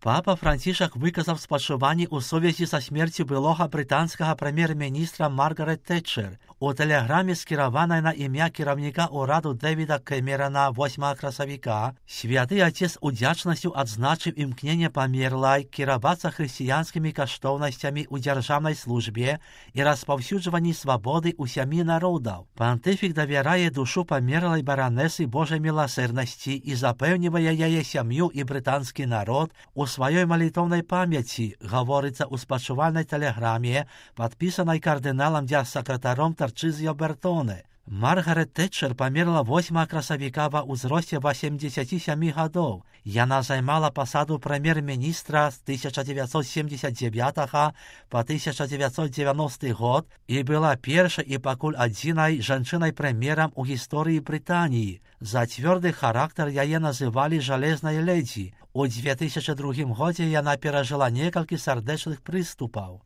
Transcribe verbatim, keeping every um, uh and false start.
Папа Францішак виказав спачуванні у сувязі са смерцю былога брытанскага прэм'ер-міністра Маргарет Тэтчер. У тэлеграме, скіраванай на імя кіраўніка ўраду Дэвіда Кэмерана восьмага красавіка, святы Отец удзячнасцю адзначыў імкненне памерлай кіравацца хрысціянскімі каштоўнасцямі ў дзяржаўнай службе і распаўсюджванні свабоды ў сямі народаў. Пантыфік давярае душу памерлай баранесы Божай міласэрнасці і запэўнівае яе сям'ю і брытанскі народ у сваёй малітоўнай памяці, гаворыцца ў спачувальнай тэлеграме, падпісанай кардыналам дзяржсакратаром Тарчызіо Бертоне. Маргарет Тэтчер памерла восьмага красавіка ва ўзросце восемдзесяці сямі гадоў. Яна займала пасаду прэм'ер-міністра з тысяча дзевяцьсот семдзесят дзевятага па тысяча дзевяцьсот дзевяносты год і была першай і пакуль адзінай жанчынай-прэм'ерам у гісторыі Брытаніі. За цвёрды характар яе называлі жалезнай ледзі. У дзве тысячы другім годзе яна перажыла некалькі сардэчных прыступаў.